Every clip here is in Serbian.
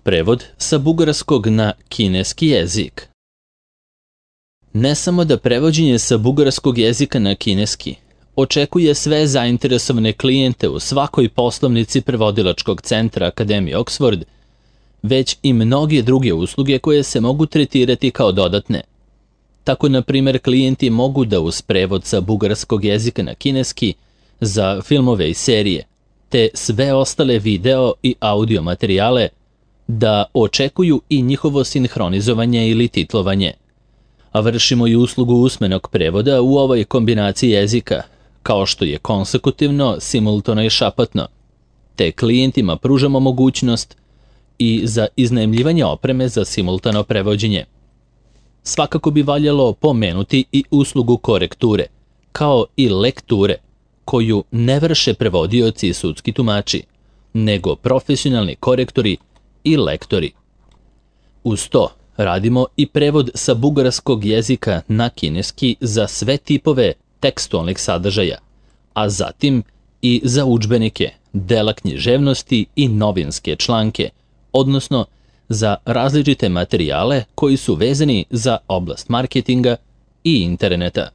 prevod sa bugarskog na kineski jezik. Ne samo da prevođenje sa bugarskog jezika na kineski očekuje sve zainteresovane klijente u svakoj poslovnici prevodilačkog centra Akademije Oxford, već i mnoge druge usluge koje se mogu tretirati kao dodatne. Tako, na primjer, klijenti mogu da uz prevod sa bugarskog jezika na kineski za filmove i serije, te sve ostale video i audio materijale, da očekuju i njihovo sinhronizovanje ili titlovanje. A vršimo i uslugu usmenog prevoda u ovoj kombinaciji jezika, kao što je konsekutivno, simultano i šapatno, te klijentima pružamo mogućnost i za iznajmljivanje opreme za simultano prevođenje. Svakako bi valjalo pomenuti i uslugu korekture, kao i lekture, koju ne vrše prevodioci i sudski tumači, nego profesionalni korektori i lektori. Uz to radimo i prevod sa bugarskog jezika na kineski za sve tipove tekstualnih sadržaja, a zatim i za udžbenike, dela književnosti i novinske članke, odnosno za različite materijale koji su vezani za oblast marketinga i interneta.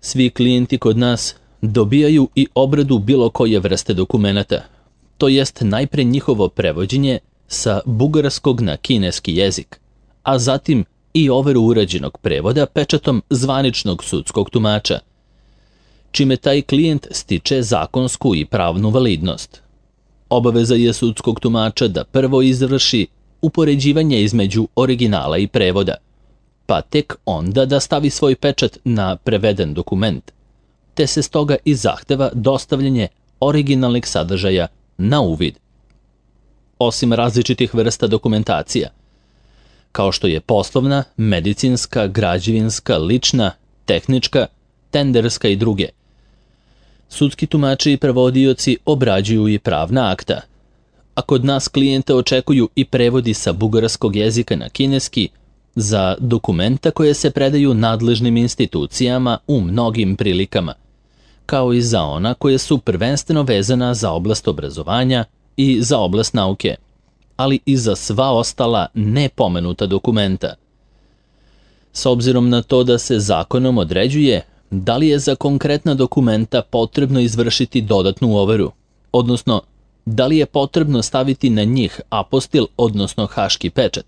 Svi klijenti kod nas dobijaju i obradu bilo koje vrste dokumenata, to jest najpre njihovo prevođenje sa bugarskog na kineski jezik, a zatim i overu urađenog prevoda pečatom zvaničnog sudskog tumača, čime taj klijent stiče zakonsku i pravnu validnost. Obaveza je sudskog tumača da prvo izvrši upoređivanje između originala i prevoda, pa tek onda da stavi svoj pečat na preveden dokument, te se stoga i zahteva dostavljanje originalnih sadržaja na uvid. Osim različitih vrsta dokumentacija, kao što je poslovna, medicinska, građevinska, lična, tehnička, tenderska i druge, sudski tumači i prevodioci obrađuju i pravna akta, a kod nas klijente očekuju i prevodi sa bugarskog jezika na kineski za dokumenta koje se predaju nadležnim institucijama u mnogim prilikama, kao i za ona koje su prvenstveno vezana za oblast obrazovanja i za oblast nauke, ali i za sva ostala nepomenuta dokumenta. S obzirom na to da se zakonom određuje da li je za konkretna dokumenta potrebno izvršiti dodatnu overu, odnosno da li je potrebno staviti na njih apostil, odnosno haški pečat,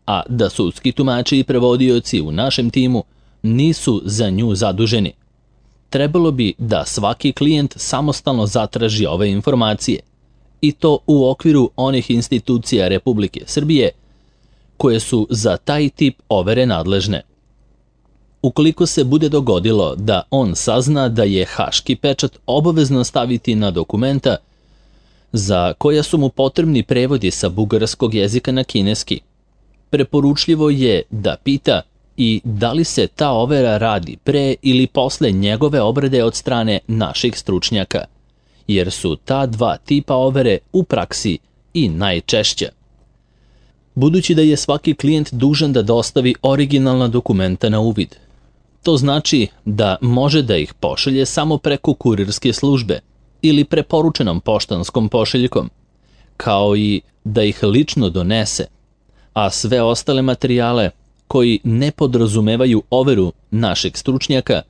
a da sudski tumači i prevodioci u našem timu nisu za nju zaduženi. Trebalo bi da svaki klijent samostalno zatraži ove informacije, i to u okviru onih institucija Republike Srbije koje su za taj tip overe nadležne. Ukoliko se bude dogodilo da on sazna da je haški pečat obavezno staviti na dokumenta za koja su mu potrebni prevodi sa bugarskog jezika na kineski, preporučljivo je da pita i da li se ta overa radi pre ili posle njegove obrade od strane naših stručnjaka, jer su ta dva tipa overe u praksi i najčešća. Budući da je svaki klijent dužan da dostavi originalna dokumenta na uvid, to znači da može da ih pošalje samo preko kurirske službe ili preporučenom poštanskom pošiljkom, kao i da ih lično donese, a sve ostale materijale koji ne podrazumevaju overu našeg stručnjaka,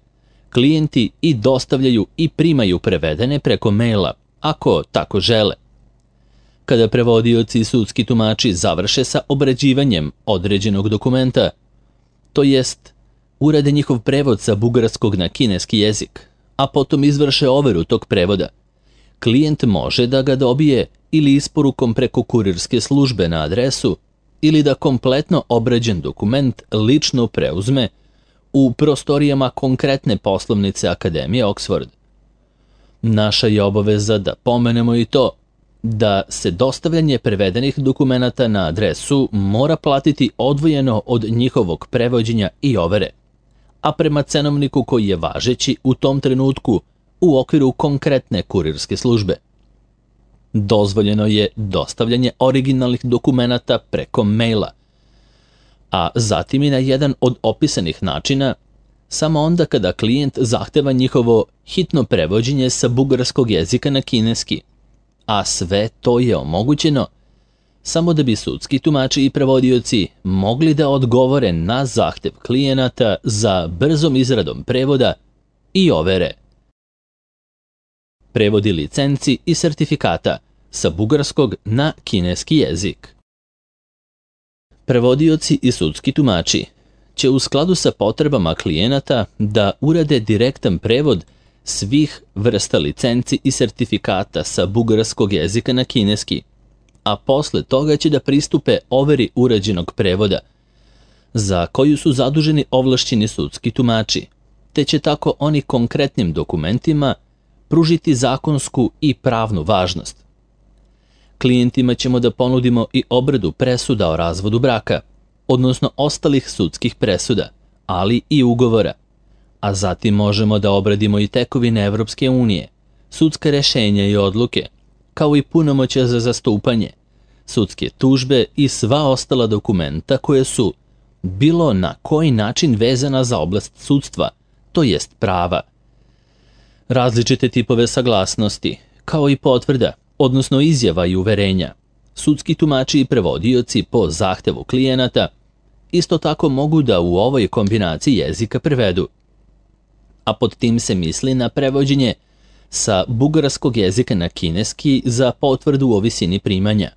klijenti i dostavljaju i primaju prevedene preko maila, ako tako žele. Kada prevodioci i sudski tumači završe sa obrađivanjem određenog dokumenta, to jest urade njihov prevod sa bugarskog na kineski jezik, a potom izvrše overu tog prevoda, klijent može da ga dobije ili isporukom preko kurirske službe na adresu ili da kompletno obrađen dokument lično preuzme u prostorijama konkretne poslovnice Akademije Oxford. Naša je obaveza da pomenemo i to da se dostavljanje prevedenih dokumenata na adresu mora platiti odvojeno od njihovog prevođenja i overe, a prema cenovniku koji je važeći u tom trenutku u okviru konkretne kurirske službe. Dozvoljeno je dostavljanje originalnih dokumenata preko maila, a zatim i na jedan od opisanih načina, samo onda kada klijent zahteva njihovo hitno prevođenje sa bugarskog jezika na kineski, a sve to je omogućeno samo da bi sudski tumači i prevodioci mogli da odgovore na zahtev klijenata za brzom izradom prevoda i overe. Prevodi licenci i sertifikata sa bugarskog na kineski jezik. Prevodioci i sudski tumači će u skladu sa potrebama klijenata da urade direktan prevod svih vrsta licenci i sertifikata sa bugarskog jezika na kineski, a posle toga će da pristupe overi urađenog prevoda, za koju su zaduženi ovlašćeni sudski tumači, te će tako oni konkretnim dokumentima pružiti zakonsku i pravnu važnost. Klijentima ćemo da ponudimo i obradu presuda o razvodu braka, odnosno ostalih sudskih presuda, ali i ugovora, a zatim možemo da obradimo i tekovine Evropske unije, sudska rešenja i odluke, kao i punomoćja za zastupanje, sudske tužbe i sva ostala dokumenta koje su bilo na koji način vezana za oblast sudstva, to jest prava. Različite tipove saglasnosti, kao i potvrda, odnosno izjava i uverenja, sudski tumači i prevodioci po zahtevu klijenata isto tako mogu da u ovoj kombinaciji jezika prevedu, a pod tim se misli na prevođenje sa bugarskog jezika na kineski za potvrdu o visini primanja,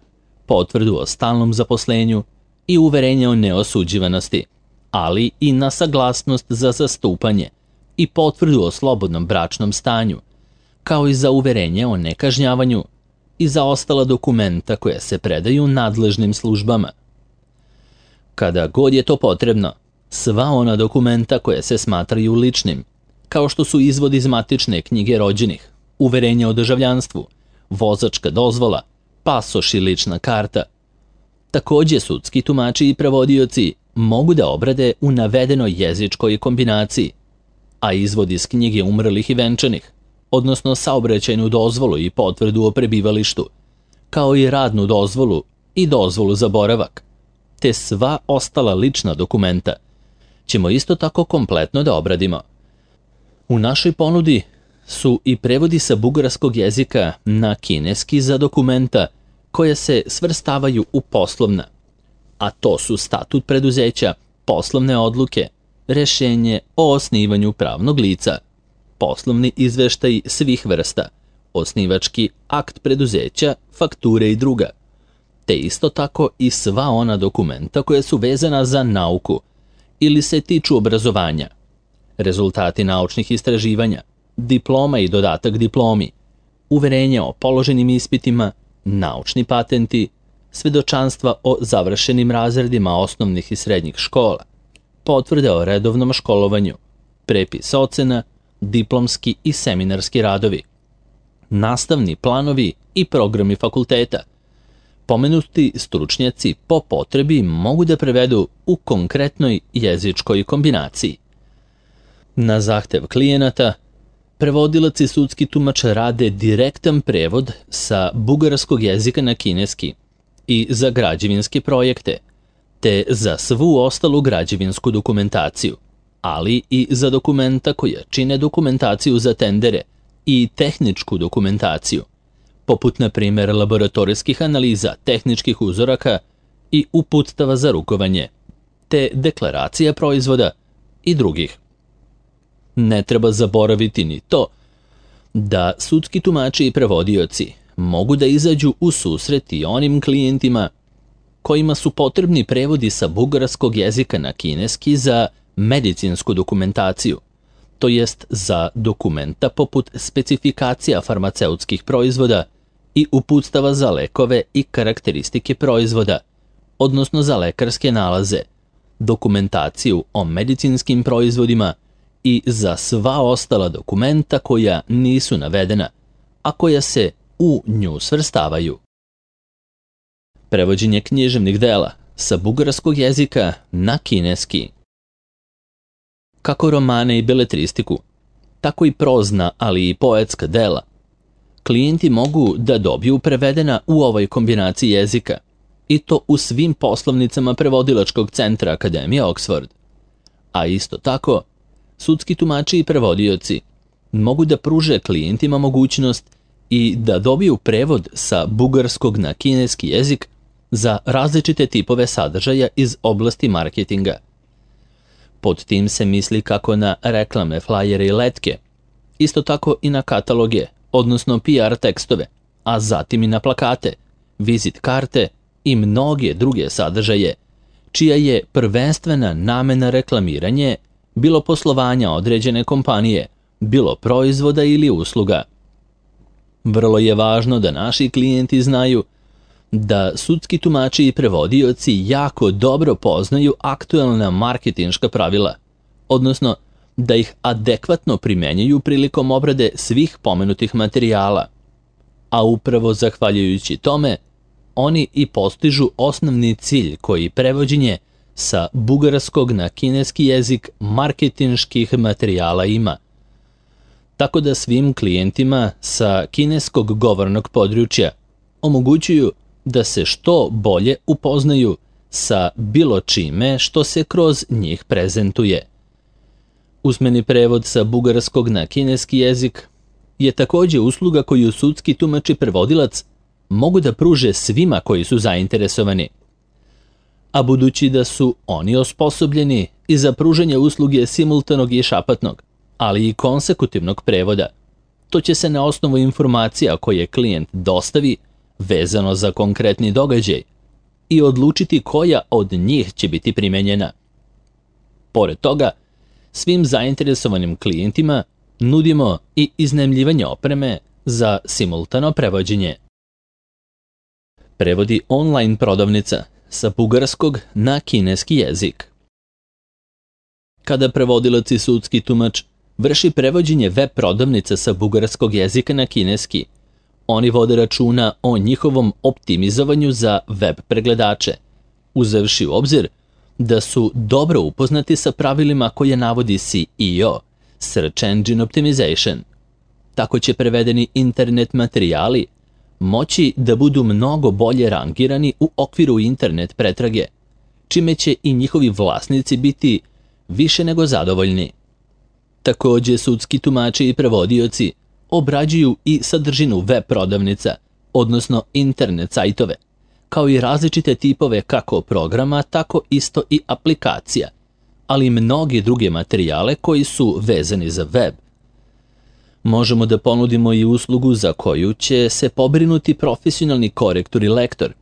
potvrdu o stalnom zaposlenju i uverenje o neosuđivanosti, ali i na saglasnost za zastupanje i potvrdu o slobodnom bračnom stanju, kao i za uverenje o nekažnjavanju i za ostala dokumenta koja se predaju nadležnim službama. Kada god je to potrebno, sva ona dokumenta koja se smatraju ličnim, kao što su izvod iz matične knjige rođenih, uverenje o državljanstvu, vozačka dozvola, pasoš i lična karta. Takođe, sudski tumači i prevodioci mogu da obrade u navedenoj jezičkoj kombinaciji, a izvod iz knjige umrlih i venčanih, odnosno saobraćajnu dozvolu i potvrdu o prebivalištu, kao i radnu dozvolu i dozvolu za boravak, te sva ostala lična dokumenta, ćemo isto tako kompletno da obradimo. U našoj ponudi su i prevodi sa bugarskog jezika na kineski za dokumenta koja se svrstavaju u poslovna, a to su statut preduzeća, poslovne odluke, rešenje o osnivanju pravnog lica, poslovni izveštaj svih vrsta, osnivački akt preduzeća, fakture i druga, te isto tako i sva ona dokumenta koja su vezana za nauku ili se tiču obrazovanja, rezultati naučnih istraživanja, diploma i dodatak diplomi, uverenje o položenim ispitima, naučni patenti, svedočanstva o završenim razredima osnovnih i srednjih škola, potvrde o redovnom školovanju, prepis ocena, diplomski i seminarski radovi, nastavni planovi i programi fakulteta. Pomenuti stručnjaci po potrebi mogu da prevedu u konkretnoj jezičkoj kombinaciji. Na zahtev klijenata, prevodilac i sudski tumač rade direktan prevod sa bugarskog jezika na kineski i za građevinske projekte, te za svu ostalu građevinsku dokumentaciju, ali i za dokumenta koja čine dokumentaciju za tendere i tehničku dokumentaciju, poput na primjer laboratorijskih analiza, tehničkih uzoraka i uputstava za rukovanje, te deklaracija proizvoda i drugih. Ne treba zaboraviti ni to da sudski tumači i prevodioci mogu da izađu u susret i onim klijentima kojima su potrebni prevodi sa bugarskog jezika na kineski za medicinsku dokumentaciju, to jest za dokumenta poput specifikacija farmaceutskih proizvoda i uputstava za lekove i karakteristike proizvoda, odnosno za lekarske nalaze, dokumentaciju o medicinskim proizvodima i za sva ostala dokumenta koja nisu navedena, a koja se u nju svrstavaju. Prevođenje književnih dela sa bugarskog jezika na kineski. Kako romane i beletristiku, tako i prozna, ali i poetska dela, klijenti mogu da dobiju prevedena u ovoj kombinaciji jezika, i to u svim poslovnicama prevodilačkog centra Akademije Oxford. A isto tako, sudski tumači i prevodioci mogu da pruže klijentima mogućnost i da dobiju prevod sa bugarskog na kineski jezik za različite tipove sadržaja iz oblasti marketinga. Pod tim se misli kako na reklame, flajere i letke, isto tako i na kataloge, odnosno PR tekstove, a zatim i na plakate, vizit karte i mnoge druge sadržaje, čija je prvenstvena namena reklamiranje, bilo poslovanja određene kompanije, bilo proizvoda ili usluga. Vrlo je važno da naši klijenti znaju da sudski tumači i prevodioci jako dobro poznaju aktuelna marketinška pravila, odnosno da ih adekvatno primenjuju prilikom obrade svih pomenutih materijala, a upravo zahvaljujući tome, oni i postižu osnovni cilj koji prevođenje sa bugarskog na kineski jezik marketinških materijala ima. Tako da svim klijentima sa kineskog govornog područja omogućuju da se što bolje upoznaju sa bilo čime što se kroz njih prezentuje. Usmeni prevod sa bugarskog na kineski jezik je također usluga koju sudski tumač i prevodilac mogu da pruže svima koji su zainteresovani. A budući da su oni osposobljeni i za pružanje usluge simultanog i šapatnog, ali i konsekutivnog prevoda, to će se na osnovu informacija koje klijent dostavi vezano za konkretni događaj i odlučiti koja od njih će biti primenjena. Pored toga, svim zainteresovanim klijentima nudimo i iznajmljivanje opreme za simultano prevođenje. Prevodi online prodavnica sa bugarskog na kineski jezik. Kada prevodilac i sudski tumač vrši prevođenje web prodavnice sa bugarskog jezika na kineski, oni vode računa o njihovom optimizovanju za web pregledače, uzevši u obzir da su dobro upoznati sa pravilima koje navodi SEO, Search Engine Optimization. Tako će prevedeni internet materijali moći da budu mnogo bolje rangirani u okviru internet pretrage, čime će i njihovi vlasnici biti više nego zadovoljni. Također sudski tumači i prevodioci obrađuju i sadržinu web prodavnica, odnosno internet sajtove, kao i različite tipove kako programa, tako isto i aplikacija, ali i mnoge druge materijale koji su vezani za web. Možemo da ponudimo i uslugu za koju će se pobrinuti profesionalni korektor i lektor,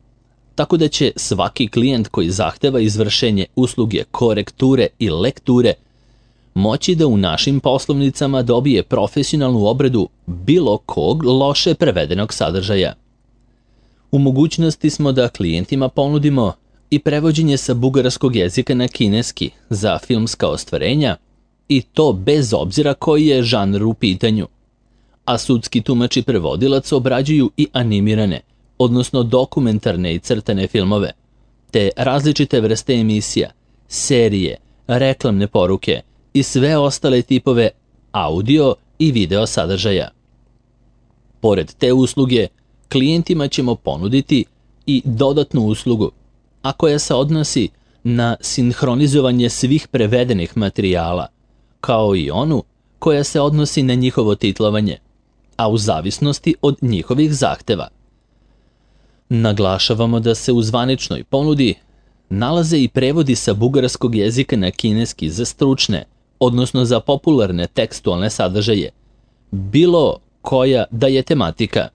tako da će svaki klijent koji zahteva izvršenje usluge korekture i lekture moći da u našim poslovnicama dobije profesionalnu obradu bilo kog loše prevedenog sadržaja. U mogućnosti smo da klijentima ponudimo i prevođenje sa bugarskog jezika na kineski za filmska ostvarenja, i to bez obzira koji je žanr u pitanju. A sudski tumač i prevodilac obrađuju i animirane, odnosno dokumentarne i crtane filmove, te različite vrste emisija, serije, reklamne poruke i sve ostale tipove audio i video sadržaja. Pored te usluge, klijentima ćemo ponuditi i dodatnu uslugu, a koja se odnosi na sinhronizovanje svih prevedenih materijala, kao i onu koja se odnosi na njihovo titlovanje, a u zavisnosti od njihovih zahteva. Naglašavamo da se u zvaničnoj ponudi nalaze i prevodi sa bugarskog jezika na kineski za stručne, odnosno za popularne tekstualne sadržaje, bilo koja da je tematika.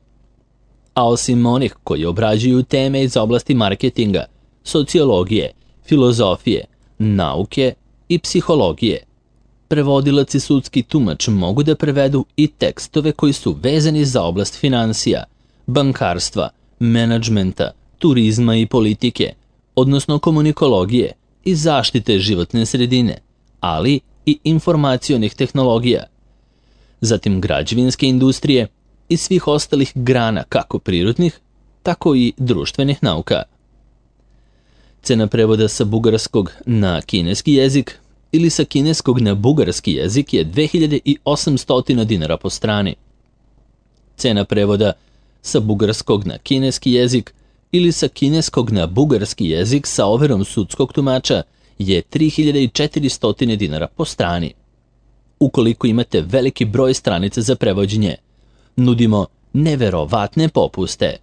A osim onih koji obrađuju teme iz oblasti marketinga, sociologije, filozofije, nauke i psihologije, prevodilac i sudski tumač mogu da prevedu i tekstove koji su vezani za oblast finansija, bankarstva, menadžmenta, turizma i politike, odnosno komunikologije i zaštite životne sredine, ali i informacionih tehnologija, zatim građevinske industrije i svih ostalih grana kako prirodnih, tako i društvenih nauka. Cena prevoda sa bugarskog na kineski jezik ili sa kineskog na bugarski jezik je 2800 dinara po strani. Cena prevoda sa bugarskog na kineski jezik ili sa kineskog na bugarski jezik sa overom sudskog tumača je 3400 dinara po strani. Ukoliko imate veliki broj stranica za prevođenje, nudimo neverovatne popuste.